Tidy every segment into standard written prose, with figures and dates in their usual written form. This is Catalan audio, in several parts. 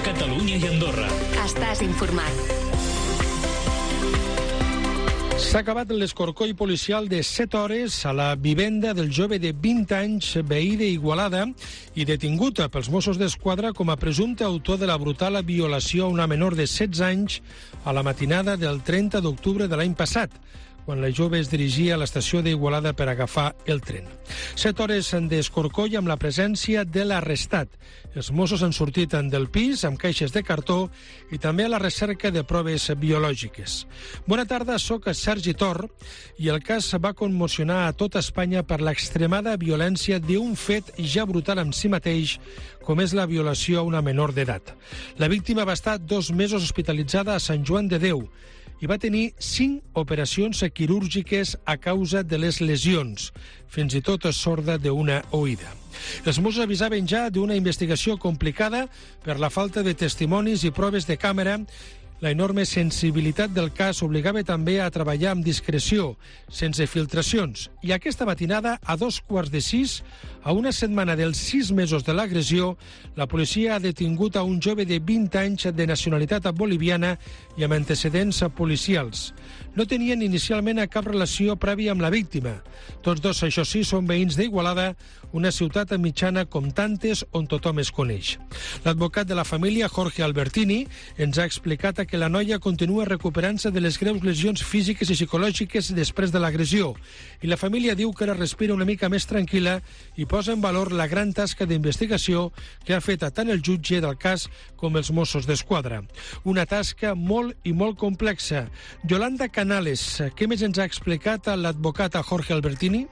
Catalunya i Andorra. Estàs informat. S'ha acabat l'escorcoll policial de 7 hores a la vivenda del jove de 20 anys, veí d'Igualada, i detingut pels Mossos d'Esquadra com a presumpte autor de la brutal violació a una menor de 16 anys a la matinada del 30 d'octubre de l'any passat, quan la jove es dirigia a l'estació d'Igualada per agafar el tren. 7 hores d'escorcoll amb la presència de l'arrestat. Els Mossos han sortit del pis amb caixes de cartó i també a la recerca de proves biològiques. Bona tarda, soc Sergi Tor i el cas va commocionar a tota Espanya per l'extremada violència d'un fet ja brutal en si mateix, com és la violació a una menor d'edat. La víctima va estar 2 mesos hospitalitzada a Sant Joan de Déu i va tenir 5 operacions quirúrgiques a causa de les lesions, fins i tot sorda d'una oïda. Els Mossos avisaven ja d'una investigació complicada per la falta de testimonis i proves de càmera. La enorme sensibilitat del cas obligava també a treballar amb discreció, sense filtracions. I aquesta matinada, a 5:15, a una setmana dels 6 mesos de l'agressió, la policia ha detingut a un jove de 20 anys de nacionalitat boliviana i amb antecedents policials. No tenien inicialment cap relació prèvia amb la víctima. Tots dos, això sí, són veïns d'Igualada, una ciutat mitjana com tantes on tothom es coneix. L'advocat de la família, Jorge Albertini, ens ha explicat que la noia continua recuperant-se de les greus lesions físiques i psicològiques després de l'agressió, i la família diu que ara respira una mica més tranquil·la i posa en valor la gran tasca d'investigació que ha fet tant el jutge del cas com els Mossos d'Esquadra. Una tasca molt i molt complexa. Yolanda Canales, què més ens ha explicat l'advocat Jorge Albertini?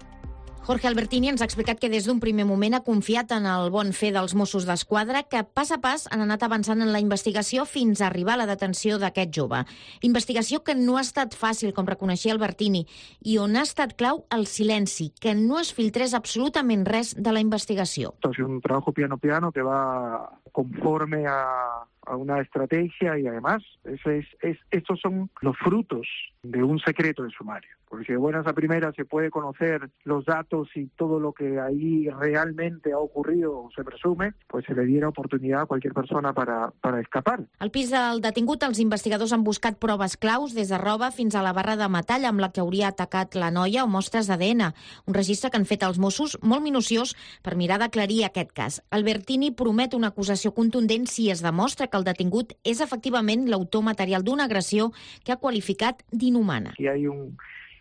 Jorge Albertini ens ha explicat que des d'un primer moment ha confiat en el bon fer dels Mossos d'Esquadra, que pas a pas han anat avançant en la investigació fins a arribar a la detenció d'aquest jove. Investigació que no ha estat fàcil, com reconeixia Albertini, i on ha estat clau el silenci, que no es filtrés absolutament res de la investigació. Ha sido un trabajo piano piano que va conforme a una estrategia y además estos son los frutos de un secreto de sumario. Porque si de buenas a primeras se puede conocer los datos y todo lo que ahí realmente ha ocurrido o se presume, pues se le diera oportunidad a cualquier persona para escapar. Al pis del detingut, els investigadors han buscat proves claus des de roba fins a la barra de metall amb la que hauria atacat la noia o mostres d'ADN. Un registre que han fet els Mossos molt minuciós per mirar d'aclarir aquest cas. Albertini promet una acusació contundent si es demostra que el detingut és efectivament l'autor material d'una agressió que ha qualificat d'inhumana. Aquí hay un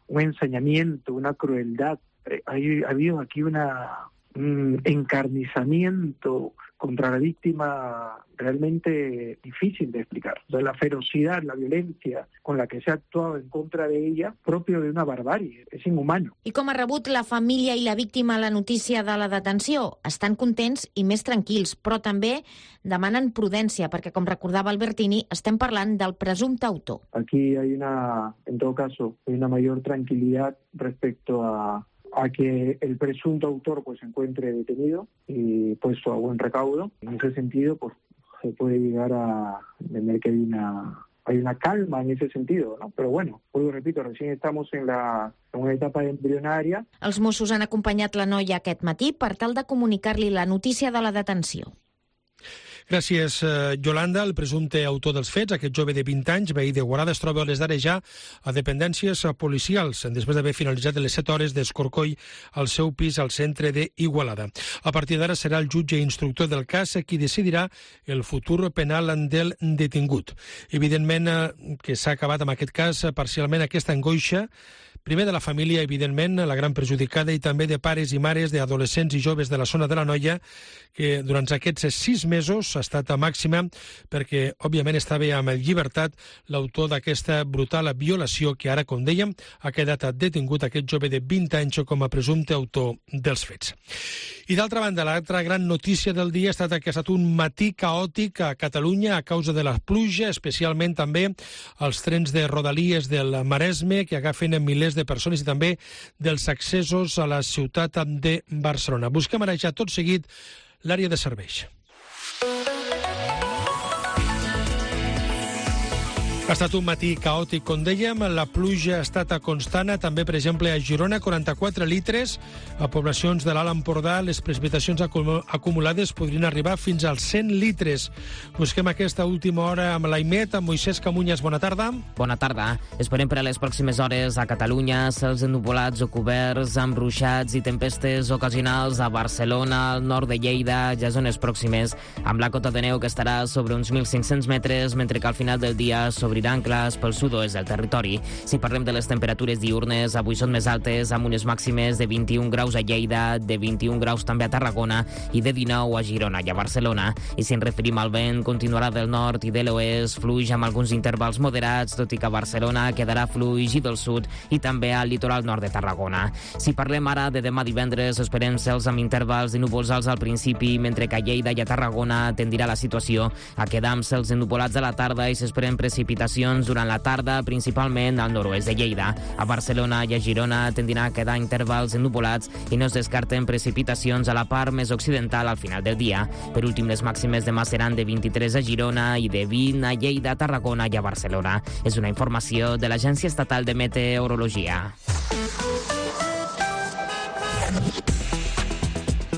ensañamiento, una crueldad. Ha habido aquí un encarnizamiento contra la víctima realmente difícil de explicar. O sea, la ferocidad, la violencia con la que se ha actuado en contra de ella, propio de una barbarie, és inhumano. I com ha rebut la família i la víctima la notícia de la detenció? Estan contents i més tranquils, però també demanen prudència, perquè, com recordava Albertini, estem parlant del presumpte autor. Aquí hay en todo caso, una mayor tranquilidad respecto a que el presunto autor pues se encuentre detenido y puesto a buen recaudo. En ese sentido, pues se puede llegar a entender que hay una calma en ese sentido, ¿no? Pero bueno, vuelvo y repito, recién estamos en una etapa embrionaria. Els Mossos han acompanyat la noia aquest matí per tal de comunicar-li la notícia de la detenció. Gràcies, Yolanda. El presumpte autor dels fets, aquest jove de 20 anys, veí d'Igualada, es troba a les d'ara ja a dependències policials, després d'haver finalitzat les 7 hores d'escorcoll al seu pis al centre d'Igualada. A partir d'ara serà el jutge instructor del cas qui decidirà el futur penal del detingut. Evidentment que s'ha acabat amb aquest cas parcialment aquesta angoixa, primer de la família, evidentment, la gran perjudicada, i també de pares i mares d'adolescents i joves de la zona de la Noia, que durant aquests 6 mesos ha estat a màxima perquè, òbviament, estava en llibertat l'autor d'aquesta brutal violació que ara, com dèiem, ha quedat detingut aquest jove de 20 anys com a presumpte autor dels fets. I d'altra banda, l'altra gran notícia del dia ha estat que ha estat un matí caòtic a Catalunya a causa de la pluja, especialment també els trens de Rodalies del Maresme, que agafen milers de persones, i també dels accessos a la ciutat de Barcelona. Busquem ara ja tot seguit l'àrea de serveis. Ha estat un matí caòtic, com dèiem. La pluja ha estat constant, també, per exemple, a Girona, 44 litres. A poblacions de l'Alt Empordà, les precipitacions acumulades podrien arribar fins als 100 litres. Busquem aquesta última hora amb l'Aimet, amb Moisès Camunyes. Bona tarda. Bona tarda. Esperem per a les pròximes hores a Catalunya cels ennuvolats o coberts amb ruixats i tempestes ocasionals a Barcelona, al nord de Lleida, ja zones pròximes, amb la cota de neu que estarà sobre uns 1.500 metres, mentre que al final del dia s'obriran clars pel sud-oest del territori. Si parlem de les temperatures diürnes, avui són més altes, amb unes màximes de 21 graus a Lleida, de 21 graus també a Tarragona i de 19 a Girona i a Barcelona. I si ens referim al vent, continuarà del nord i de l'oest, fluix amb alguns intervals moderats, tot i que a Barcelona quedarà fluix i del sud i també al litoral nord de Tarragona. Si parlem ara de demà divendres, esperem cels amb intervals de núvols alts al principi, mentre que a Lleida i a Tarragona tendirà la situació a quedar amb cels ennuvolats a la tarda i s'esperen precipitacions durant la tarda, principalment al nord-oest de Lleida. A Barcelona i a Girona tendirà a quedar intervals ennuvolats i no es descarten precipitacions a la part més occidental al final del dia. Per últim, les màximes demà seran de 23 a Girona i de 20 a Lleida, Tarragona i a Barcelona. És una informació de l'Agència Estatal de Meteorologia.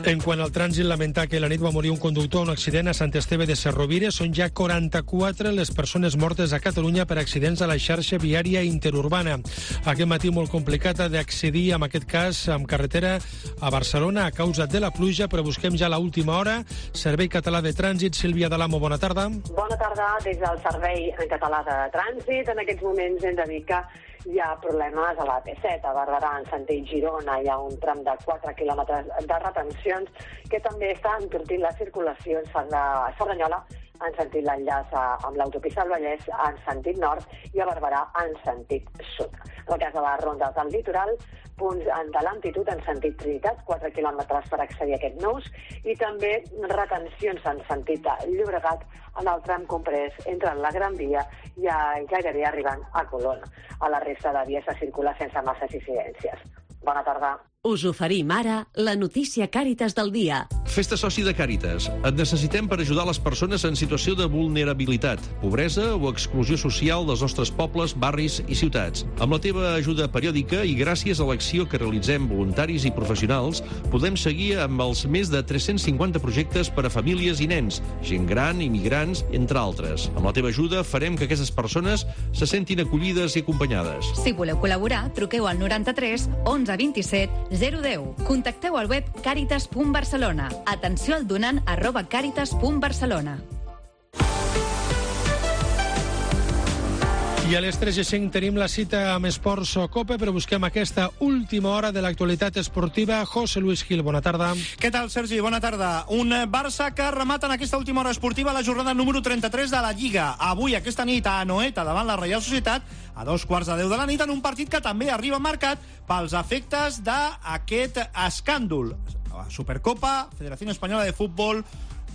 En quant al trànsit, lamentar que la nit va morir un conductor en un accident a Sant Esteve de Cerrovires. Són ja 44 les persones mortes a Catalunya per accidents a la xarxa viària interurbana. Aquest matí molt complicat d'accedir, en aquest cas, amb carretera a Barcelona a causa de la pluja, però busquem ja l'última hora. Servei Català de Trànsit, Sílvia Dalamo, bona tarda. Bona tarda des del Servei Català de Trànsit. En aquests moments hem de dir que hi ha problemes a la P7, a Barberà, en sentit Girona. Hi ha un tram de 4 quilòmetres de retencions que també està entortint la circulació en Cerdanyola, en sentit l'enllaç amb l'autopista del Vallès, en sentit nord, i a Barberà, en sentit sud. En el cas de les rondes del litoral, punts de l'amplitud en sentit Trinitat, 4 quilòmetres per accedir a aquest nus, i també retencions en sentit Llobregat en el tram comprès entre la Gran Via i gairebé arribant a Colón. A la resta de vies se circula sense masses incidències. Bona tarda. Us oferim ara la notícia Càritas del dia. Fes-te soci de Càritas. Et necessitem per ajudar les persones en situació de vulnerabilitat, pobresa o exclusió social dels nostres pobles, barris i ciutats. Amb la teva ajuda periòdica i gràcies a l'acció que realitzem voluntaris i professionals, podem seguir amb els més de 350 projectes per a famílies i nens, gent gran, immigrants, entre altres. Amb la teva ajuda farem que aquestes persones se sentin acollides i acompanyades. Si voleu col·laborar, truqueu al 93 11 27 010. Contacteu al web caritas.barcelona. Atenció al donant @caritas.barcelona. I a les 3:05 tenim la cita amb Esports Cope, però busquem aquesta última hora de l'actualitat esportiva. José Luis Gil, bona tarda. Què tal, Sergi? Bona tarda. Un Barça que remata en aquesta última hora esportiva la jornada número 33 de la Lliga. Avui, aquesta nit, a Anoeta, davant la Reial Societat, a 2:15 de la nit, en un partit que també arriba marcat pels efectes d'aquest escàndol. Supercopa, Federació Espanyola de Futbol,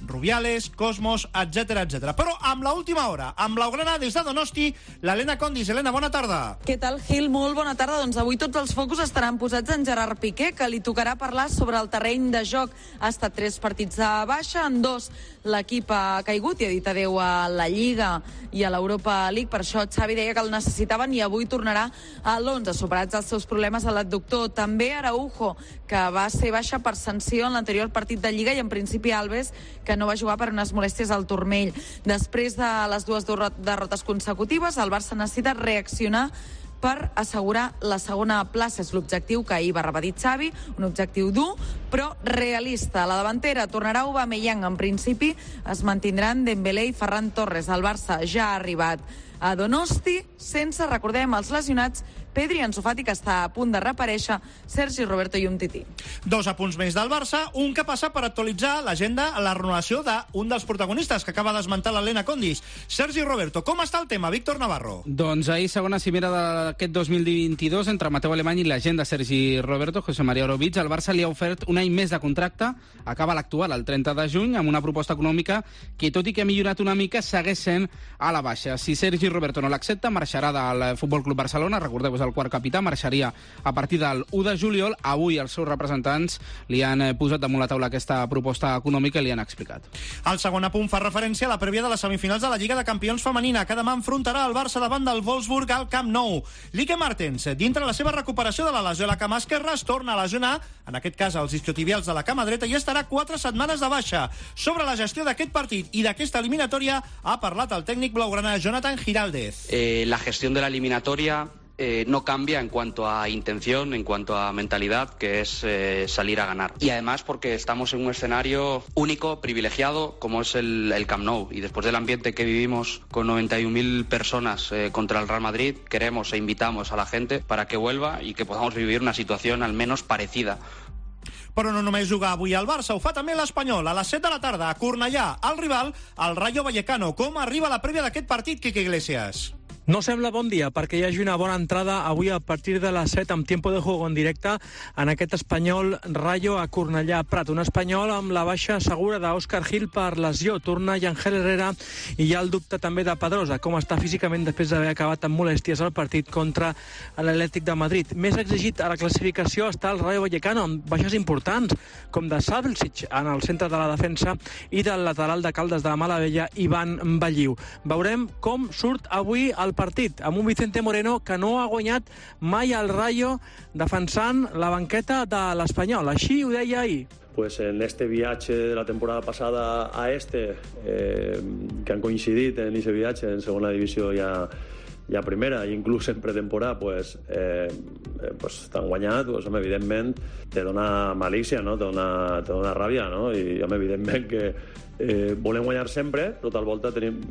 Rubiales, Cosmos, etc etc. Però amb l'última hora, amb l'Augrana des de Donosti, l'Helena Condis. Helena, bona tarda. Què tal, Gil? Molt bona tarda. Doncs avui tots els focus estaran posats en Gerard Piqué, que li tocarà parlar sobre el terreny de joc. Ha estat 3 partits de baixa, en 2 l'equip ha caigut i ha dit adeu a la Lliga i a l'Europa League. Per això Xavi deia que el necessitaven i avui tornarà a l'11, superats els seus problemes a l'adductor. També Araujo, que va ser baixa per sanció en l'anterior partit de Lliga, i en principi Alves, que no va jugar per unes molèsties al turmell. Després de les 2 derrotes consecutives, el Barça necessita reaccionar per assegurar la segona plaça. És l'objectiu que ahir va repetir Xavi, un objectiu dur, però realista. A la davantera tornarà Aubameyang. En principi es mantindran Dembélé i Ferran Torres. El Barça ja ha arribat a Donosti, sense, recordem, els lesionats Pedri, Ansu Fati, que està a punt de reaparèixer, Sergi Roberto i Umtiti. 2 apunts més del Barça, un que passa per actualitzar l'agenda a la renovació d'un dels protagonistes que acaba d'esmentar l'Helena Condis. Sergi Roberto, com està el tema? Víctor Navarro. Doncs ahir, segona cimera d'aquest 2022 entre Mateu Alemany i l'agent de Sergi Roberto, José María Orovich, el Barça li ha ofert un any més de contracte, acaba l'actual el 30 de juny, amb una proposta econòmica que, tot i que ha millorat una mica, segueix sent a la baixa. Si Sergi Roberto no l'accepta, marxarà del Futbol Club Barcelona, recordeu, és el quart capità, marxaria a partir del 1 de juliol. Avui els seus representants li han posat damunt la taula aquesta proposta econòmica i li han explicat. El segon apunt fa referència a la prèvia de les semifinals de la Lliga de Campions femenina, que demà enfrontarà el Barça davant del Wolfsburg al Camp Nou. Lique Martens, dintre la seva recuperació de la lesió a la cama esquerra, es torna a lesionar, en aquest cas els isquiotibials de la cama dreta, i estarà 4 setmanes de baixa. Sobre la gestió d'aquest partit i d'aquesta eliminatòria ha parlat el tècnic blaugrana Jonathan Giraldez. La gestión de la eliminatoria no cambia en cuanto a intención, en cuanto a mentalidad, que es salir a ganar. Y además porque estamos en un escenario único, privilegiado, como es el Camp Nou. Y después del ambiente que vivimos con 91.000 personas contra el Real Madrid, queremos e invitamos a la gente para que vuelva y que podamos vivir una situación al menos parecida. Però no només juga avui al Barça, ho fa també l'Espanyol. A les 7 de la tarda, a Cornellà, el rival, el Rayo Vallecano. Com arriba la prèvia d'aquest partit, Quique Iglesias? No sembla bon dia perquè hi hagi una bona entrada avui a partir de les 7 amb tiempo de juego en directe en aquest Espanyol Rayo a Cornellà Prat. Un Espanyol amb la baixa segura d'Òscar Gil per lesió. Torna Yangel Herrera i hi ha el dubte també de Pedrosa, com està físicament després d'haver acabat amb molèsties el partit contra l'Atlètic de Madrid. Més exigit a la classificació està el Rayo Vallecano amb baixes importants, com de Savelsic en el centre de la defensa i del lateral de Caldes de la Malavella, Ivan Balliu. Veurem com surt avui el partit, amb un Vicente Moreno que no ha guanyat mai al Rayo defensant la banqueta de l'Espanyol. Així ho deia ahir. Pues en este viaje de la temporada pasada a que han coincidit en ese viaje en segona divisió ja primera, inclús en pretemporada, pues t'han guanyat, pues, evidentment te dona malícia, no? te dona ràbia, no? I evidentment que volem guanyar sempre, però tal volta tenim...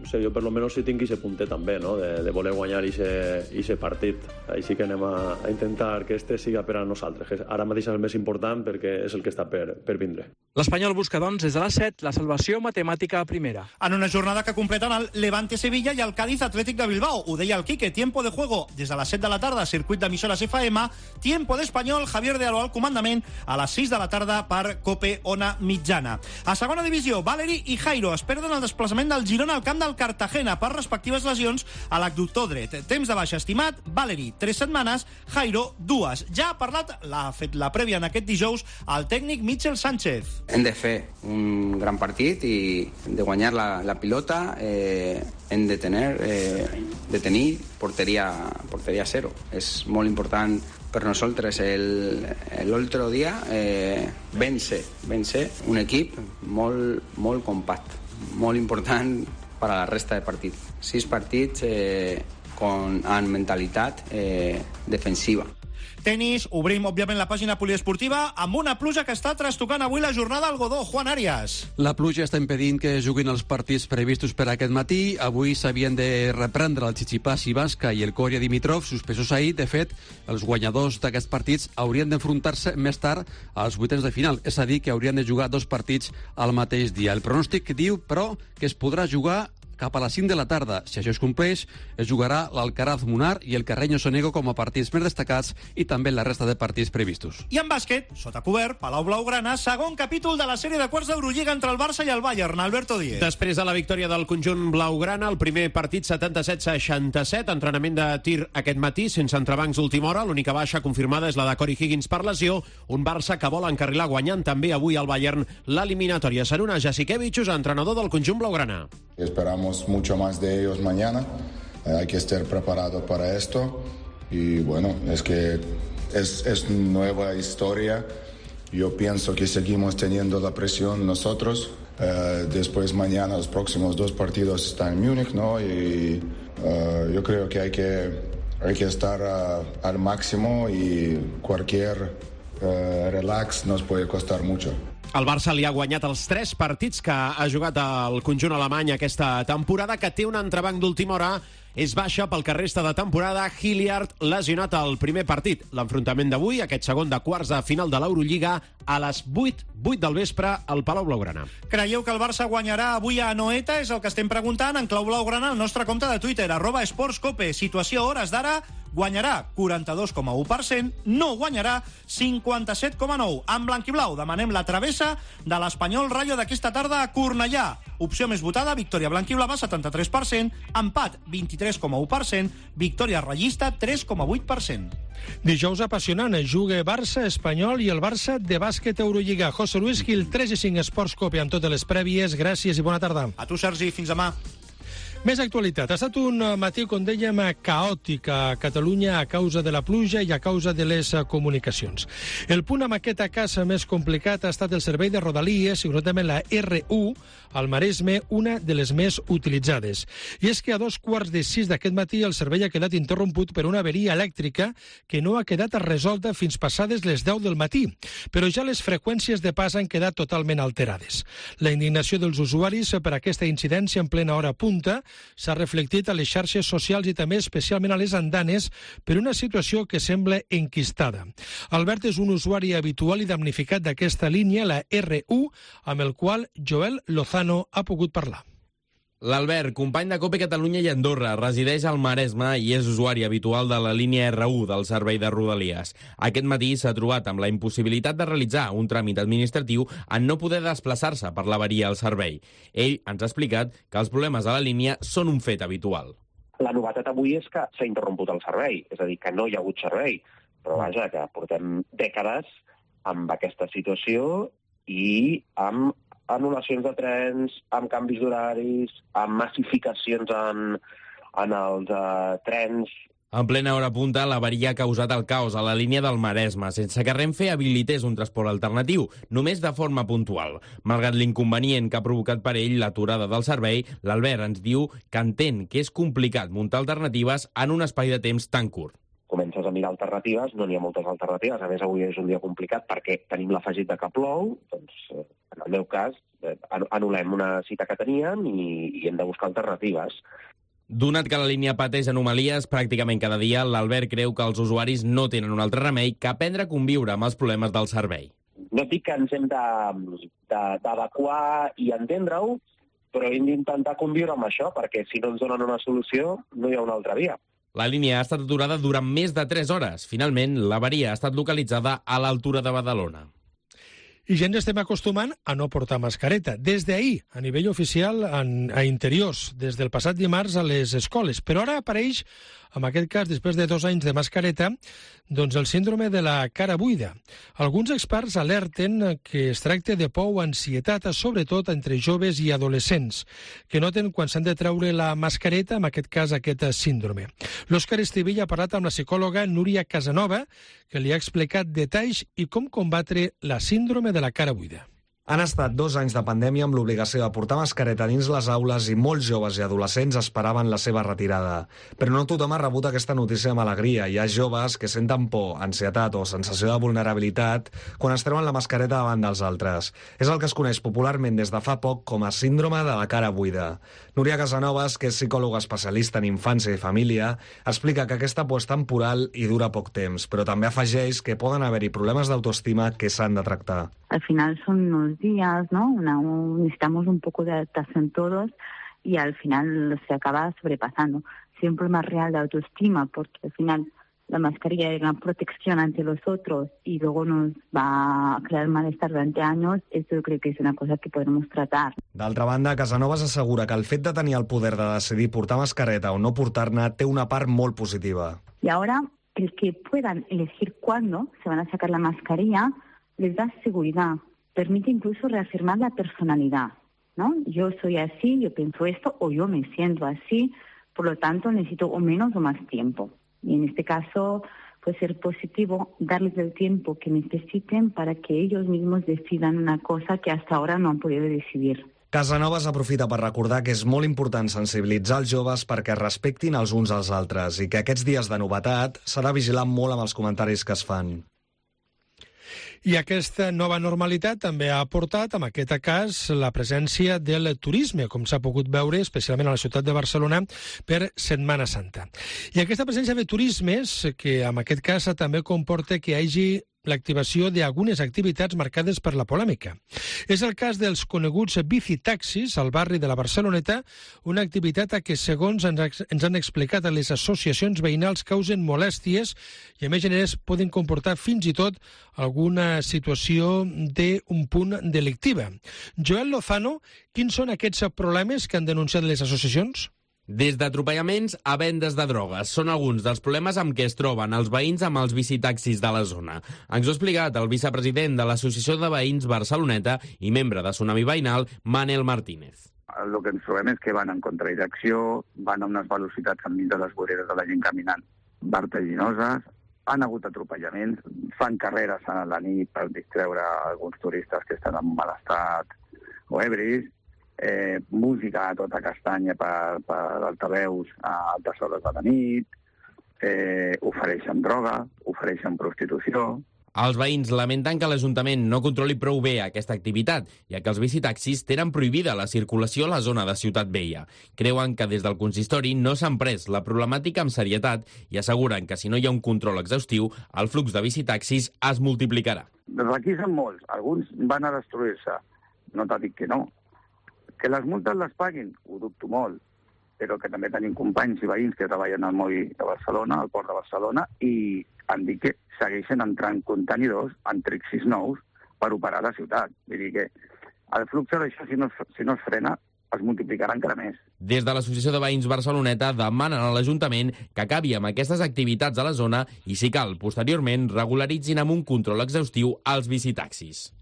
No sé, jo per lo menos sí tinc aquest puntet també, no? de voler guanyar aquest partit. Així que anem a intentar que este siga per a nosaltres, que ara mateix és el més important perquè és el que està per vindre. L'Espanyol busca, doncs, des de les 7, la salvació matemàtica a primera. En una jornada que completen el Levante-Sevilla i el Cádiz Atlètic de Bilbao. Ho deia el Quique, tiempo de juego des de les 7 de la tarda, circuit d'emissores FM, tiempo d'Espanyol, Javier de Alo al comandament, a les 6 de la tarda per Cope Ona Mitjana. A segona divisió, Valeri i Jairo es perden el desplaçament del Girona al camp del Cartagena per respectives lesions a l'abductor dret. Temps de baixa estimat, Valeri 3 setmanes, Jairo 2. Ja ha parlat, l'ha fet la prèvia en aquest dijous, el tècnic Michel Sánchez. Hem de fer un gran partit i de guanyar la pilota, hem de tenir porteria cero. És molt important per nosaltres l'altre dia vèncer un equip molt compacte, molt important per a la resta de partits. 6 partits amb mentalitat defensiva. Tenis, obrim, òbviament, la pàgina poliesportiva amb una pluja que està trastocant avui la jornada al Godó. Juan Arias. La pluja està impedint que juguin els partits previstos per aquest matí. Avui s'havien de reprendre el Tsitsipas i Basca i el Coria Dimitrov, suspesos ahir. De fet, els guanyadors d'aquests partits haurien d'enfrontar-se més tard als vuitens de final, és a dir, que haurien de jugar 2 partits al mateix dia. El pronòstic diu, però, que es podrà jugar cap a les 5 de la tarda. Si això es compleix, es jugarà l'Alcaraz Munar i el Carreño Sonego com a partits més destacats i també la resta de partits previstos. I en bàsquet, sota cobert, Palau Blaugrana, segon capítol de la sèrie de quarts d'Eurolliga entre el Barça i el Bayern. Alberto Díez. Després de la victòria del conjunt blaugrana, el primer partit 77-67, entrenament de tir aquest matí, sense entrebancs d'última hora. L'única baixa confirmada és la de Corey Higgins per lesió. Un Barça que vol encarrilar guanyant també avui al Bayern l'eliminatòria. Saruna Jasikevičius, entrenador del conjunt blaugrana. Esperamos mucho más de ellos mañana. Hay que estar preparado para esto. Y bueno, es que es nueva historia. Yo pienso que seguimos teniendo la presión nosotros. Después mañana los próximos 2 partidos están en Múnich, ¿no? Y yo creo que hay que estar al máximo y cualquier relax nos puede costar mucho. El Barça li ha guanyat els 3 partits que ha jugat el conjunt alemany aquesta temporada, que té un entrebanc d'última hora. És baixa pel que resta de temporada Hilliard, lesionat al primer partit. L'enfrontament d'avui, aquest segon de quarts de final de l'Eurolliga, a les 8 del vespre al Palau Blaugrana. Creieu que el Barça guanyarà avui a Anoeta? És el que estem preguntant en clau blaugrana al nostre compte de Twitter, @esportscope. Situació a hores d'ara guanyarà 42,1%, no guanyarà 57,9%. En blanc i blau demanem la travessa de l'Espanyol Rayo d'aquesta tarda a Cornellà. Opció més votada, victòria blanquiblava, 73%, empat, 23,1%, victòria ratllista, 3,8%. Dijous apassionant, juga Barça, Espanyol i el Barça de bàsquet Eurolliga. José Luis Gil, 3-5 Esports Cope amb totes les prèvies. Gràcies i bona tarda. A tu, Sergi, fins demà. Més actualitat. Ha estat un matí, com dèiem, caòtic a Catalunya a causa de la pluja i a causa de les comunicacions. El punt amb aquest cas més complicat ha estat el servei de Rodalies, i concretament la R1, al Maresme, una de les més utilitzades. I és que a 5:15 d'aquest matí el servei ha quedat interromput per una averia elèctrica que no ha quedat resolta fins passades les 10 del matí, però ja les freqüències de pas han quedat totalment alterades. La indignació dels usuaris per aquesta incidència en plena hora punta s'ha reflectit a les xarxes socials i també especialment a les andanes per una situació que sembla enquistada. Albert és un usuari habitual i damnificat d'aquesta línia, la R1, amb el qual Joel Lozano ha pogut parlar. L'Albert, company de COPE Catalunya i Andorra, resideix al Maresme i és usuari habitual de la línia R1 del servei de Rodalies. Aquest matí s'ha trobat amb la impossibilitat de realitzar un tràmit administratiu en no poder desplaçar-se per l'avaria al servei. Ell ens ha explicat que els problemes a la línia són un fet habitual. La novetat avui és que s'ha interromput el servei, és a dir, que no hi ha hagut servei. Però vaja, que portem dècades amb aquesta situació i amb anul·lacions de trens, amb canvis d'horaris, amb massificacions en els trens. En plena hora punta, l'avaria ha causat el caos a la línia del Maresme, sense que Renfe habilités un transport alternatiu, només de forma puntual. Malgrat l'inconvenient que ha provocat per ell l'aturada del servei, l'Albert ens diu que entén que és complicat muntar alternatives en un espai de temps tan curt. Comences a mirar alternatives, no n'hi ha moltes alternatives. A més, avui és un dia complicat perquè tenim l'afegit de que plou. Doncs, en el meu cas, anul·lem una cita que teníem i hem de buscar alternatives. Donat que la línia pateix anomalies pràcticament cada dia, l'Albert creu que els usuaris no tenen un altre remei que aprendre a conviure amb els problemes del servei. No dic que ens hem d'adequar i entendre-ho, però hem d'intentar conviure amb això, perquè si no ens donen una solució, no hi ha una altra via. La línia ha estat aturada durant més de 3 hores. Finalment, l'avaria ha estat localitzada a l'altura de Badalona. I ja ens estem acostumant a no portar mascareta. Des d'ahir, a nivell oficial, a interiors, des del passat dimarts a les escoles. Però ara apareix, en aquest cas, després de 2 anys de mascareta, doncs el síndrome de la cara buida. Alguns experts alerten que es tracta de por o ansietat, sobretot entre joves i adolescents, que noten quan s'han de treure la mascareta, en aquest cas aquest síndrome. L'Òscar Estivill ha parlat amb la psicòloga Núria Casanova, que li ha explicat detalls i com combatre la síndrome de la cara buida. Han estat 2 anys de pandèmia amb l'obligació de portar mascareta dins les aules i molts joves i adolescents esperaven la seva retirada. Però no tothom ha rebut aquesta notícia amb alegria. Hi ha joves que senten por, ansietat o sensació de vulnerabilitat quan es treuen la mascareta davant dels altres. És el que es coneix popularment des de fa poc com a síndrome de la cara buida. Núria Casanovas, que és psicòloga especialista en infància i família, explica que aquesta por és temporal i dura poc temps, però també afegeix que poden haver-hi problemes d'autoestima que s'han de tractar. Al final son unos días, ¿no? Necesitamos un poco de adaptación todos y al final se acaba sobrepasando. Si hay un problema real de autoestima, porque al final la mascarilla es una protección ante los otros y luego nos va a crear malestar durante años, eso creo que es una cosa que podemos tratar. D'altra banda, Casanovas assegura que el fet de tenir el poder de decidir portar mascareta o no portar-ne té una part molt positiva. Y ahora, el que puedan elegir cuándo se van a sacar la mascarilla les da seguridad, permite incluso reafirmar la personalidad, ¿no? Yo soy así, yo pienso esto, o yo me siento así, por lo tanto necesito o menos o más tiempo. Y en este caso puede ser positivo darles el tiempo que necesiten para que ellos mismos decidan una cosa que hasta ahora no han podido decidir. Casanovas aprofita per recordar que és molt important sensibilitzar els joves perquè respectin els uns als altres i que aquests dies de novetat s'ha de vigilar molt amb els comentaris que es fan. I aquesta nova normalitat també ha aportat, en aquest cas, la presència del turisme, com s'ha pogut veure, especialment a la ciutat de Barcelona, per Setmana Santa. I aquesta presència de turismes, que en aquest cas també comporta que hi hagi l'activació d'algunes activitats marcades per la polèmica. És el cas dels coneguts bicitaxis al barri de la Barceloneta, una activitat a què, segons ens han explicat a les associacions veïnals, causen molèsties i, a més, poden comportar fins i tot alguna situació d'un punt delictiva. Joel Lozano, quins són aquests problemes que han denunciat les associacions? Des d'atropellaments a vendes de drogues són alguns dels problemes amb què es troben els veïns amb els bicitaxis de la zona. Ens ho ha explicat el vicepresident de l'Associació de Veïns Barceloneta i membre de Tsunami Veïnal, Manel Martínez. El que ens trobem és que van en contradirecció, van a unes velocitats enmig de les voreres de la gent caminant vertiginoses, han hagut atropellaments, fan carreres a la nit per distreure alguns turistes que estan en mal estat o ebris, música a tota castanya per altaveus a altes hores de la nit, ofereixen droga, ofereixen prostitució. Els veïns lamenten que l'Ajuntament no controli prou bé aquesta activitat, ja que els bicitaxis tenen prohibida la circulació a la zona de Ciutat Vella. Creuen que des del consistori no s'han pres la problemàtica amb serietat i asseguren que si no hi ha un control exhaustiu, el flux de bicitaxis es multiplicarà. Requisen molts, alguns van a destruir-se, no t'ha dit que no. Que les multes les paguin, ho dubto molt, però que també tenim companys i veïns que treballen al moll de Barcelona, al port de Barcelona, i han dit que segueixen entrant contenidors en trixis nous per operar la ciutat. Vull dir que el flux d'això, si no es frena, es multiplicarà encara més. Des de l'Associació de Veïns Barceloneta demanen a l'Ajuntament que acabi amb aquestes activitats a la zona i, si cal, posteriorment regularitzin amb un control exhaustiu els bicitaxis.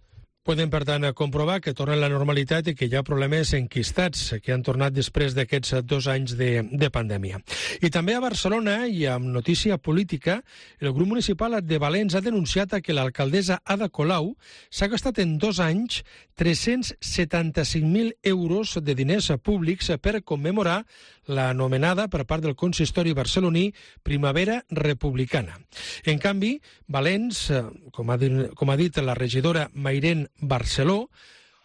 Podem, per tant, comprovar que torna a la normalitat i que hi ha problemes enquistats que han tornat després d'aquests 2 anys de pandèmia. I també a Barcelona, i amb notícia política, el grup municipal de Valens ha denunciat que l'alcaldessa Ada Colau s'ha gastat en 2 anys 375.000 euros de diners públics per commemorar l'anomenada per part del consistori barceloní Primavera Republicana. En canvi, Valens, com ha dit la regidora Mairén Barceló,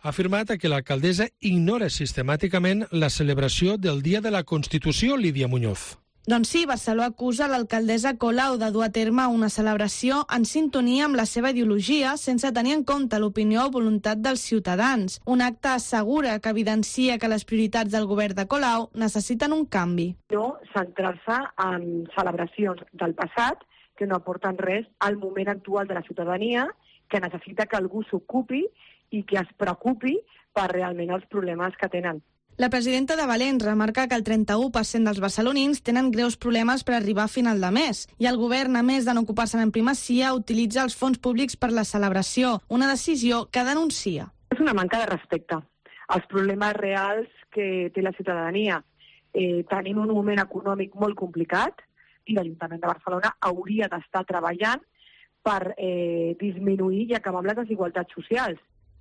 ha afirmat que l'alcaldessa ignora sistemàticament la celebració del Dia de la Constitució, Lídia Muñoz. Doncs sí, Barceló acusa l'alcaldessa Colau de dur a terme una celebració en sintonia amb la seva ideologia sense tenir en compte l'opinió o voluntat dels ciutadans. Un acte assegura que evidencia que les prioritats del govern de Colau necessiten un canvi. No centrar-se en celebracions del passat que no aporten res al moment actual de la ciutadania, que necessita que algú s'ocupi i que es preocupi per realment els problemes que tenen. La presidenta de Valens remarca que el 31% dels barcelonins tenen greus problemes per arribar a final de mes i el govern, a més de no ocupar-se'n en primacia, utilitza els fons públics per la celebració, una decisió que denuncia. És una manca de respecte als problemes reals que té la ciutadania. Tenim un moment econòmic molt complicat i l'Ajuntament de Barcelona hauria d'estar treballant per disminuir i acabar amb les desigualtats socials.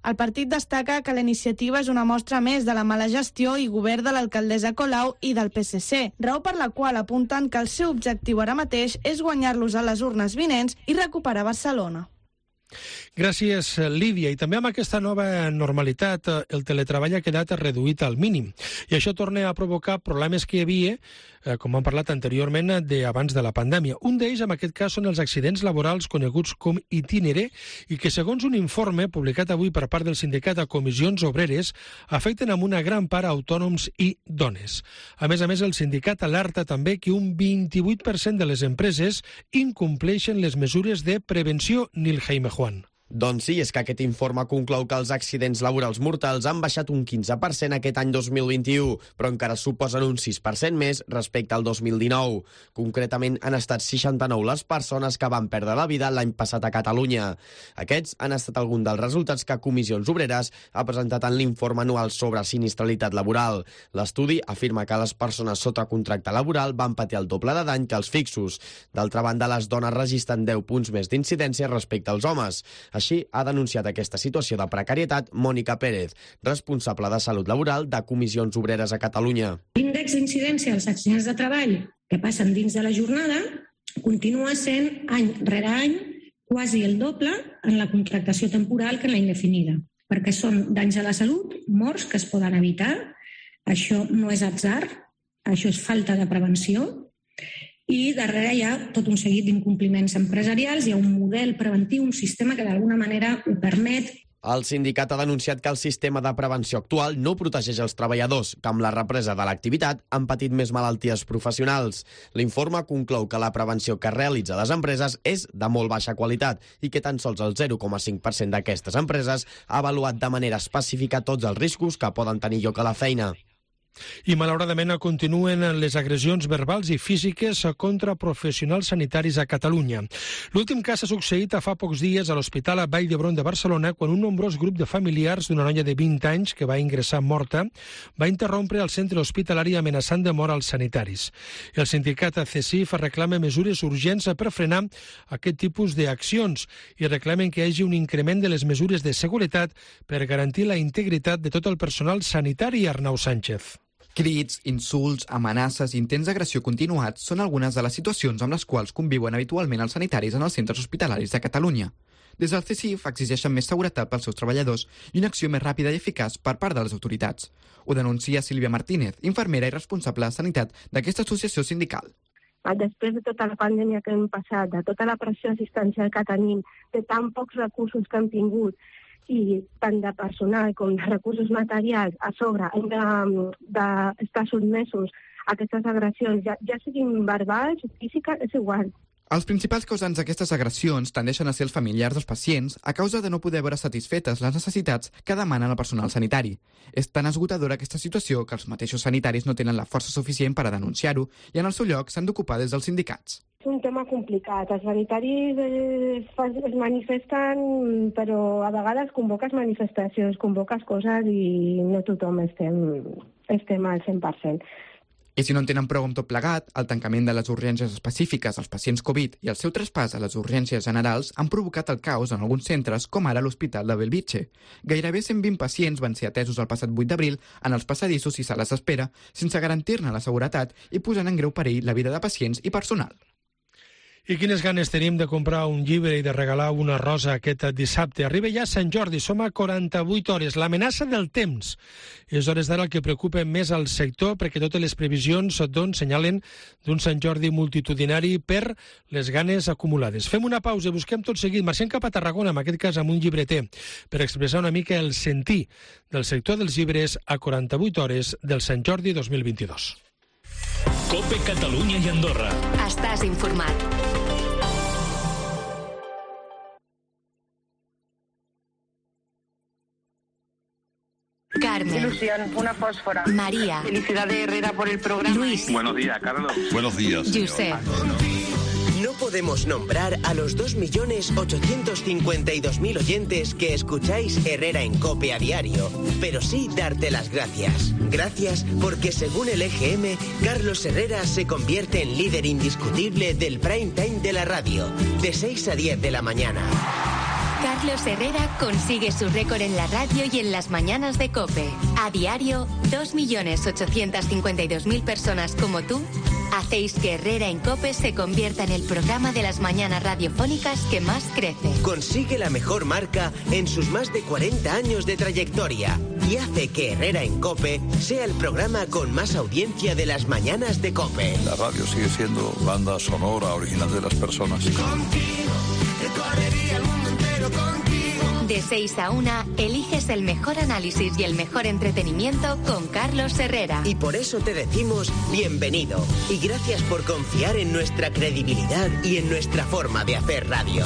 El partit destaca que la iniciativa és una mostra més de la mala gestió i govern de l'alcaldessa Colau i del PSC, raó per la qual apunten que el seu objectiu ara mateix és guanyar-los a les urnes vinents i recuperar Barcelona. Gràcies, Lídia. I també amb aquesta nova normalitat el teletreball ha quedat reduït al mínim. I això torna a provocar problemes que hi havia, com hem parlat anteriorment, abans de la pandèmia. Un d'ells, en aquest cas, són els accidents laborals coneguts com itinere i que, segons un informe publicat avui per part del sindicat a Comissions Obreres, afecten amb una gran part autònoms i dones. A més, el sindicat alerta també que un 28% de les empreses incompleixen les mesures de prevenció. Nil Jaime Juan. Doncs sí, és que aquest informe conclou que els accidents laborals mortals han baixat un 15% aquest any 2021, però encara suposen un 6% més respecte al 2019. Concretament, han estat 69 les persones que van perdre la vida l'any passat a Catalunya. Aquests han estat alguns dels resultats que Comissions Obreres ha presentat en l'informe anual sobre sinistralitat laboral. L'estudi afirma que les persones sota contracte laboral van patir el doble de dany que els fixos. D'altra banda, les dones registren 10 punts més d'incidència respecte als homes. Així ha denunciat aquesta situació de precarietat Mònica Pérez, responsable de Salut Laboral de Comissions Obreres a Catalunya. L'índex d'incidència dels accidents de treball que passen dins de la jornada continua sent any rere any quasi el doble en la contractació temporal que en la indefinida, perquè són danys a la salut, morts que es poden evitar. Això no és atzar, això és falta de prevenció i darrere hi ha tot un seguit d'incompliments empresarials, hi ha un model preventiu, un sistema que d'alguna manera ho permet. El sindicat ha denunciat que el sistema de prevenció actual no protegeix els treballadors, que amb la represa de l'activitat han patit més malalties professionals. L'informe conclou que la prevenció que realitza les empreses és de molt baixa qualitat i que tan sols el 0,5% d'aquestes empreses ha avaluat de manera específica tots els riscos que poden tenir lloc a la feina. I malauradament continuen les agressions verbals i físiques contra professionals sanitaris a Catalunya. L'últim cas ha succeït fa pocs dies a l'Hospital a Vall d'Hebron de Barcelona, quan un nombrós grup de familiars d'una noia de 20 anys que va ingressar morta va interrompre el centre hospitalari amenaçant de mort als sanitaris. El sindicat CESIF reclama mesures urgents per frenar aquest tipus d'accions i reclamen que hi hagi un increment de les mesures de seguretat per garantir la integritat de tot el personal sanitari. Arnau Sánchez. Crits, insults, amenaces i intents d'agressió continuats són algunes de les situacions amb les quals conviuen habitualment els sanitaris en els centres hospitalaris de Catalunya. Des del CESIF exigeixen més seguretat pels seus treballadors i una acció més ràpida i eficaç per part de les autoritats. Ho denuncia Sílvia Martínez, infermera i responsable de sanitat d'aquesta associació sindical. Després de tota la pandèmia que hem passat, de tota la pressió assistencial que tenim, de tan pocs recursos que hem tingut, i tant de personal com de recursos materials, a sobre hem d'estar sotmesos a aquestes agressions, ja siguin verbals o físiques, és igual. Els principals causants d'aquestes agressions tendeixen a ser els familiars dels pacients a causa de no poder veure satisfetes les necessitats que demanen el personal sanitari. És tan esgotadora aquesta situació que els mateixos sanitaris no tenen la força suficient per a denunciar-ho i en el seu lloc s'han d'ocupar des dels sindicats. És un tema complicat. Els sanitaris es manifesten, però a vegades convoques manifestacions, convoques coses i no tothom estem al 100%. I si no en tenen prou amb tot plegat, el tancament de les urgències específiques als pacients Covid i el seu traspàs a les urgències generals han provocat el caos en alguns centres, com ara l'Hospital de Bellvitge. Gairebé 120 pacients van ser atesos el passat 8 d'abril en els passadissos i sales d'espera, sense garantir-ne la seguretat i posant en greu perill la vida de pacients i personal. I quines ganes tenim de comprar un llibre i de regalar una rosa aquest dissabte. Arriba ja Sant Jordi, som a 48 hores. L'amenaça del temps és hores d'ara el que preocupa més al sector, perquè totes les previsions senyalen d'un Sant Jordi multitudinari per les ganes acumulades. Fem una pausa i busquem tot seguit. Marxem cap a Tarragona, en aquest cas amb un llibreter, per expressar una mica el sentir del sector dels llibres a 48 hores del Sant Jordi 2022. COPE Catalunya i Andorra. Estàs informat. Carmen. Ilusión, una fósfora. María. Felicidades, Herrera, por el programa. Luis. Buenos días, Carlos. Buenos días. Josep. No podemos nombrar a los 2.852.000 oyentes que escucháis Herrera en COPE a diario, pero sí darte las gracias. Gracias porque, según el EGM, Carlos Herrera se convierte en líder indiscutible del prime time de la radio, de 6 a 10 de la mañana. Carlos Herrera consigue su récord en la radio y en las mañanas de COPE. A diario, 2.852.000 personas como tú hacéis que Herrera en COPE se convierta en el programa de las mañanas radiofónicas que más crece. Consigue la mejor marca en sus más de 40 años de trayectoria y hace que Herrera en COPE sea el programa con más audiencia de las mañanas de COPE. La radio sigue siendo banda sonora original de las personas. Contigo, recorrería el mundo entero contigo. De 6 a 1, eliges el mejor análisis y el mejor entretenimiento con Carlos Herrera. Y por eso te decimos bienvenido. Y gracias por confiar en nuestra credibilidad y en nuestra forma de hacer radio.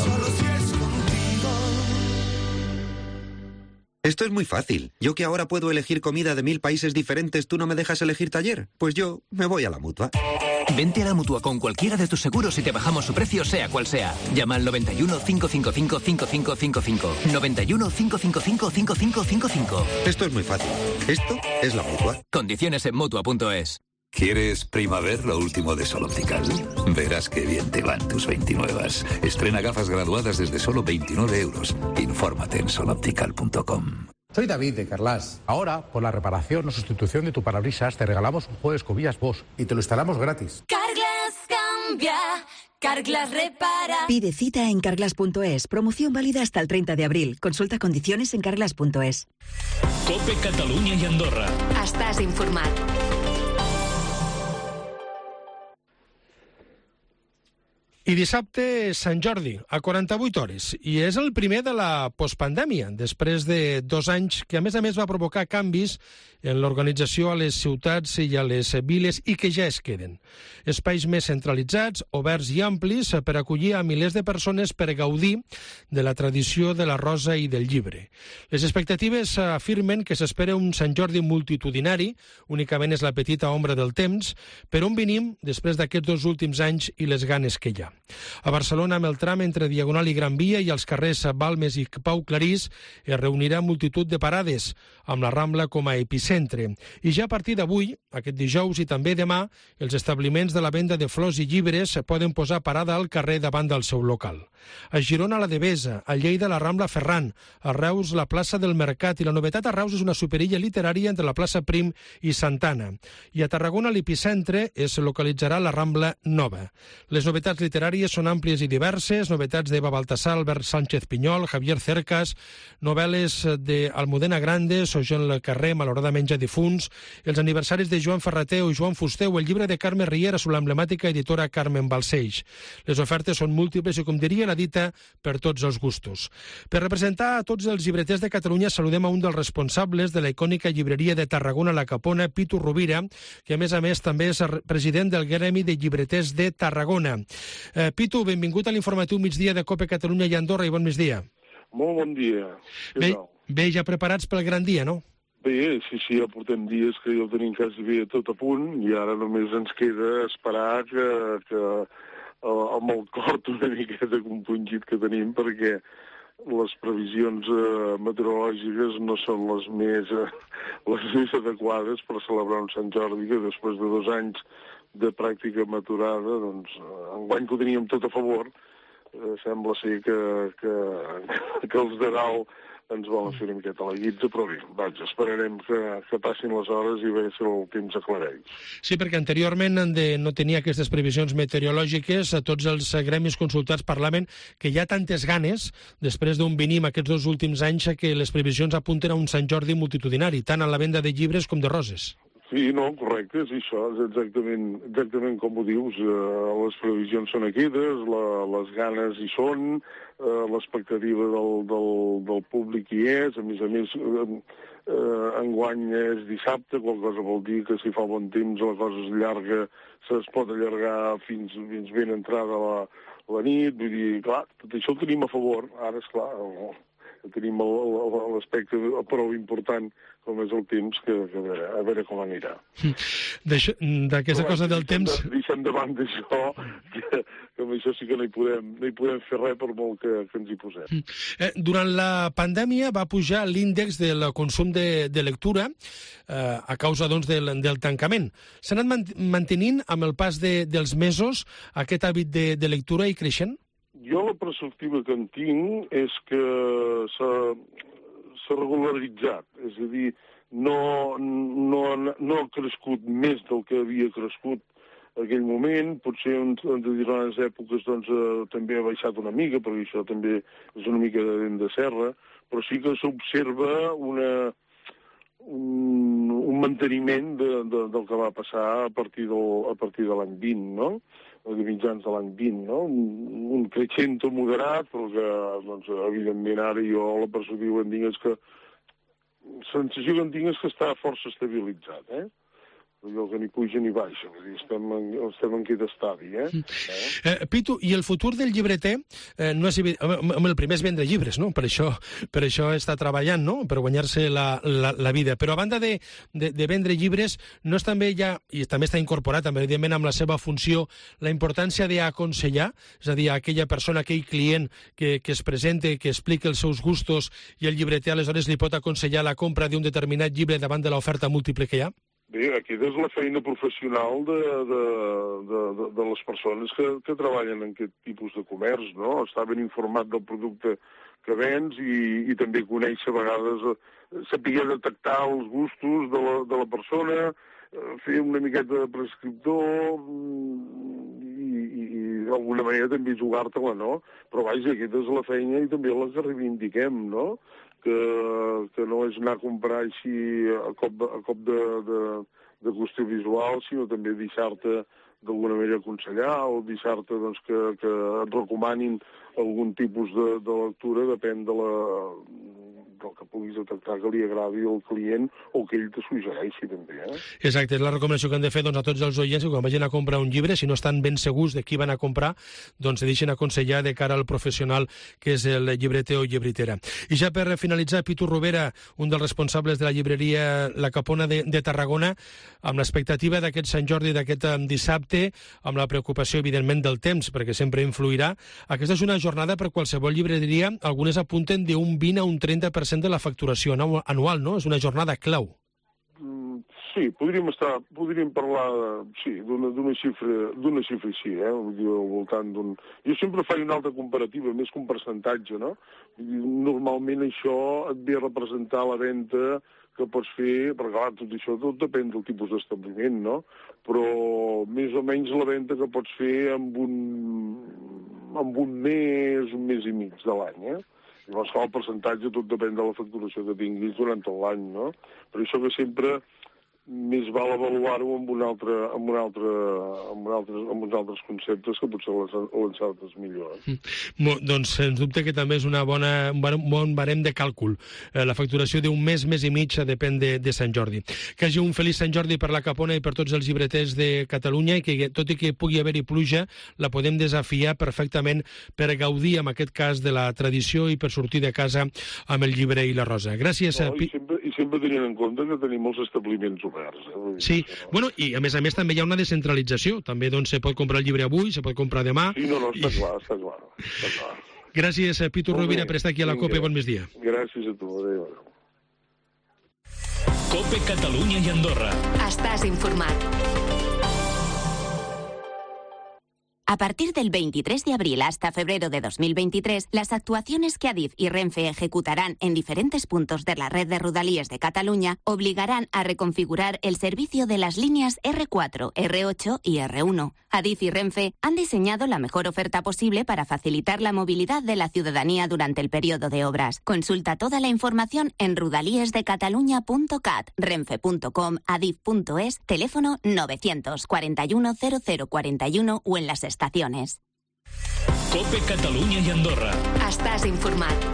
Esto es muy fácil. Yo que ahora puedo elegir comida de 1000 países diferentes, ¿tú no me dejas elegir taller? Pues yo me voy a la Mutua. Vente a la Mutua con cualquiera de tus seguros y te bajamos su precio, sea cual sea. Llama al 91 555 5555. 91 555 5555. Esto es muy fácil. Esto es la Mutua. Condiciones en Mutua.es. ¿Quieres Primaver, lo último de Sol Optical? Verás qué bien te van tus 29. Estrena gafas graduadas desde solo 29 euros. Infórmate en soloptical.com. Soy David de Carlas. Ahora, por la reparación o sustitución de tu parabrisas, te regalamos un juego de escobillas Bosch y te lo instalamos gratis. Carglass cambia, Carglass repara. Pide cita en carglass.es. Promoción válida hasta el 30 de abril. Consulta condiciones en carglass.es. COPE Catalunya i Andorra. Estàs informat. I dissabte, Sant Jordi, a 48 hores. I és el primer de la postpandèmia, després de 2 anys, que a més va provocar canvis en l'organització a les ciutats i a les viles i que ja es queden. Espais més centralitzats, oberts i amplis per acollir a milers de persones per gaudir de la tradició de la rosa i del llibre. Les expectatives afirmen que s'espera un Sant Jordi multitudinari, únicament és la petita ombra del temps, per on venim després d'aquests 2 últims anys i les ganes que hi ha. A Barcelona, amb el tram entre Diagonal i Gran Via i els carrers Balmes i Pau Clarís, es reunirà multitud de parades, amb la Rambla com a epicentre. I ja a partir d'avui, aquest dijous i també demà, els establiments de la venda de flors i llibres poden posar parada al carrer davant del seu local. A Girona, la Devesa, a Lleida, la Rambla Ferran, a Reus, la plaça del Mercat, i la novetat a Reus és una superilla literària entre la plaça Prim i Santana. I a Tarragona, l'epicentre, es localitzarà la Rambla Nova. Les novetats literàries són àmplies i diverses, novetats d'Eva Baltasar, Albert Sánchez Pinyol, Javier Cercas, novel·les d'Almudena Grandes, o Joan Le Carré, malauradament ja difunts, els aniversaris de Joan Ferrater o Joan Fuster, o el llibre de Carme Riera sobre l'emblemàtica editora Carmen Balcells. Les ofertes són múltiples i, com diria la dita, per tots els gustos. Per representar a tots els llibreters de Catalunya, saludem a un dels responsables de la icònica llibreria de Tarragona, La Capona, Pitu Rovira, que a més també és president del Gremi de Llibreters de Tarragona. Pitu, benvingut a l'informatiu migdia de COPE Catalunya i Andorra, i bon migdia. Molt bon dia. Bé, ja preparats pel gran dia, no? Bé, sí, ja portem dies que ja ho tenim quasi bé tot a punt i ara només ens queda esperar que amb el cor una miqueta compungit que tenim, perquè les previsions meteorològiques no són les més adequades per celebrar un Sant Jordi, que després de 2 anys de pràctica maturada, doncs, enguany que ho teníem tot a favor, sembla ser que els de dalt ens volen fer una miqueta la guitza, però bé, vaja, esperarem que passin les hores i veure si el temps aclareix. Sí, perquè anteriorment no tenia aquestes previsions meteorològiques, a tots els gremis consultats parlaven que hi ha tantes ganes, després d'on venim aquests 2 últims anys, que les previsions apunten a un Sant Jordi multitudinari, tant en la venda de llibres com de roses. Sí, no, correcte, és això, és exactament com ho dius. Les previsions són aquestes, les ganes hi són, l'expectativa del públic hi és, a més, enguany és dissabte, qual cosa vol dir que si fa bon temps la cosa es llarga, es pot allargar fins ben entrada la nit, vull dir, clar, tot això ho tenim a favor, ara és clar, tenim l'aspecte prou important com és el temps, que a veure com anirà. D'aquesta cosa del temps... Deixem davant d'això, que amb això sí que no hi podem fer res per molt que ens hi posem. Durant la pandèmia va pujar l'índex del consum de lectura a causa doncs, del tancament. S'ha anat mantenint amb el pas dels mesos aquest hàbit de lectura i creixent? Jo la perspectiva que en tinc és que s'ha regularitzat, és a dir, no ha crescut més del que havia crescut en aquell moment, potser en determinades èpoques doncs, també ha baixat una mica, perquè això també és una mica de dent de serra, però sí que s'observa un manteniment del que va passar a partir de l'any 20, no? De mitjans de l'any 20, no? Un creixent moderat, però que, doncs, evidentment, ara jo la perspectiva que en tinc és que la sensació que en tinc és que està força estabilitzat, allò que ni puja ni baixa, estem en aquest estadi, Pitu, i el futur del llibreter no és evident, el primer és vendre llibres, no? Per això està treballant, no? Per guanyar-se la vida, però a banda de vendre llibres, no és també ja, i també està incorporat, evidentment, amb la seva funció, la importància d'aconsellar, és a dir, aquella persona, aquell client que es presente, que explica els seus gustos, i el llibreter aleshores li pot aconsellar la compra d'un determinat llibre davant de l'oferta múltiple que hi ha? Bé, aquesta és la feina professional de les persones que treballen en aquest tipus de comerç, no? Estar ben informat del producte que vens i també conèixer a vegades, saber detectar els gustos de la persona, fer una miqueta de prescriptor i d'alguna manera també jugar-te-la, no? Però vaja, aquesta és la feina i també la que reivindiquem, no? Que no és anar a comprar així a cop de qüestió visual, sinó també deixar-te d'alguna manera aconsellar o deixar-te doncs, que et recomanin algun tipus de lectura, depèn del que puguis detectar que li agradi al client o que ell te suggereixi també. Exacte, és la recomanació que hem de fer a tots els oients que quan vagin a comprar un llibre, si no estan ben segurs de qui van a comprar, doncs se deixen aconsellar de cara al professional que és el llibreter o llibretera. I ja per finalitzar, Pitu Rovera, un dels responsables de la llibreria La Capona de Tarragona, amb l'expectativa d'aquest Sant Jordi, d'aquest dissabte, amb la preocupació, evidentment, del temps, perquè sempre influirà. Aquesta és una jornada per qualsevol llibreria, algunes apunten d'un 20 a un 30% de la facturació anual, no? És una jornada clau. Sí, podríem parlar d'una xifra així, vull dir, al voltant d'un... Jo sempre faig una altra comparativa, més que un percentatge, no? Normalment això et ve a representar la venda que pots fer, perquè clar, tot depèn del tipus d'establiment, no? Però més o menys la venda que pots fer amb un mes i mig de l'any, Llavors, el percentatge tot depèn de la facturació que tinguis durant tot l'any, no? Per això que sempre més val avaluar-ho amb uns altres conceptes que potser l'encertes millor. Doncs, sens dubte que també és un bon barem de càlcul. La facturació d'un mes i mig depèn de Sant Jordi. Que hagi un feliç Sant Jordi per la Capona i per tots els llibreters de Catalunya i que, tot i que pugui haver-hi pluja, la podem desafiar perfectament per gaudir, en aquest cas, de la tradició i per sortir de casa amb el llibre i la rosa. Gràcies. I sempre tenint en compte que tenim molts establiments oberts. Sí, bueno, i a més també hi ha una descentralització. També doncs, se pot comprar el llibre avui, se pot comprar demà. Sí, no, està clar. Gràcies, Pitu Rovira, per estar aquí a la COPE. Bon migdia. Gràcies a tu. Adéu. COPE Catalunya i Andorra. Estàs informat. A partir del 23 de abril hasta febrero de 2023, las actuaciones que Adif y Renfe ejecutarán en diferentes puntos de la red de Rodalies de Cataluña obligarán a reconfigurar el servicio de las líneas R4, R8 y R1. Adif y Renfe han diseñado la mejor oferta posible para facilitar la movilidad de la ciudadanía durante el periodo de obras. Consulta toda la información en rodaliesdecatalunya.cat, renfe.com, adif.es, teléfono 941 0041 o en las estaciones. COPE Catalunya i Andorra. Estàs informat.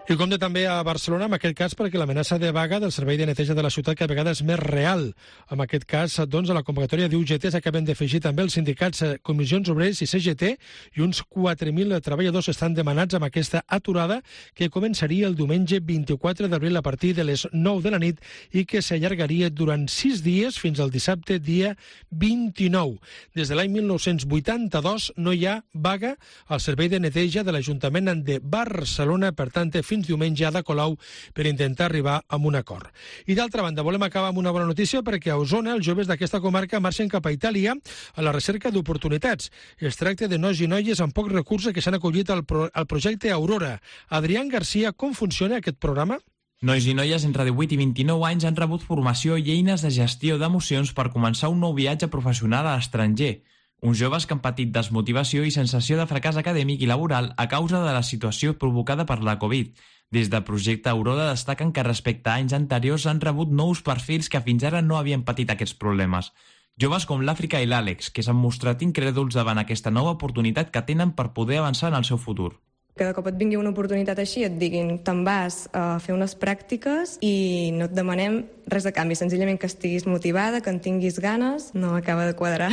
I compte també a Barcelona, en aquest cas, perquè l'amenaça de vaga del servei de neteja de la ciutat cada vegada és més real. En aquest cas, doncs, a la convocatòria d'UGT s'acaben d'afegir també els sindicats Comissions Obreres i CGT i uns 4.000 treballadors estan demanats amb aquesta aturada que començaria el diumenge 24 d'abril a partir de les 9 de la nit i que s'allargaria durant 6 dies fins al dissabte, dia 29. Des de l'any 1982 no hi ha vaga al servei de neteja de l'Ajuntament de Barcelona, per tant, fins diumenge a Ada Colau per intentar arribar a un acord. I d'altra banda, volem acabar amb una bona notícia perquè a Osona els joves d'aquesta comarca marxen cap a Itàlia a la recerca d'oportunitats. Es tracta de nois i noies amb pocs recursos que s'han acollit al projecte Aurora. Adrián García, com funciona aquest programa? Nois i noies entre 18 i 29 anys han rebut formació i eines de gestió d'emocions per començar un nou viatge professional a l'estranger. Uns joves que han patit desmotivació i sensació de fracàs acadèmic i laboral a causa de la situació provocada per la Covid. Des del projecte Aurora destaquen que respecte a anys anteriors han rebut nous perfils que fins ara no havien patit aquests problemes. Joves com l'Àfrica i l'Àlex, que s'han mostrat incrèduls davant aquesta nova oportunitat que tenen per poder avançar en el seu futur. Que de cop et vingui una oportunitat així, et diguin te'n vas a fer unes pràctiques i no et demanem res de canvi, senzillament que estiguis motivada, que en tinguis ganes, no acaba de quadrar.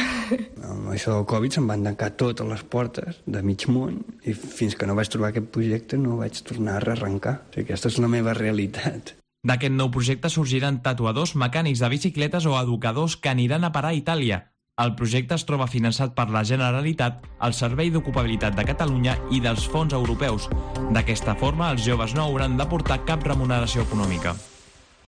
Amb això del Covid se'm van tancar totes les portes de mig món i fins que no vaig trobar aquest projecte no vaig tornar a rearrencar. O sigui, aquesta és la meva realitat. D'aquest nou projecte sorgiran tatuadors, mecànics de bicicletes o educadors que aniran a parar a Itàlia. El projecte es troba finançat per la Generalitat, el Servei d'Ocupabilitat de Catalunya i dels fons europeus. D'aquesta forma, els joves no hauran d'aportar cap remuneració econòmica.